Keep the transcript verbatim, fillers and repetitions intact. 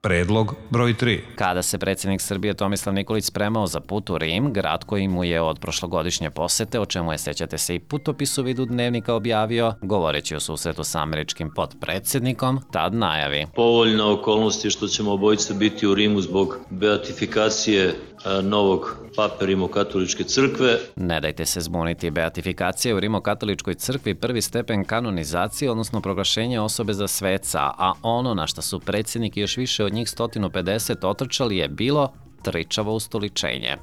Predlog broj tri. Kada se predsjednik Srbije Tomislav Nikolić spremao za put u Rim, grad koji mu je od prošlogodišnje posete, o čemu je, sećate se, i putopis u vidu dnevnika objavio, govoreći o susretu sa američkim potpredsjednikom, tad najavi. Povoljna okolnost je što ćemo obojice biti u Rimu zbog beatifikacije novog pape Rimokatoličke crkve. Ne dajte se zbuniti, beatifikacija u Rimokatoličkoj crkvi prvi stepen kanonizacije, odnosno proglašenje osobe za sveca, a ono na šta su predsjednik i još više od njih sto pedeset otrčali je bilo tričavo ustoličenje.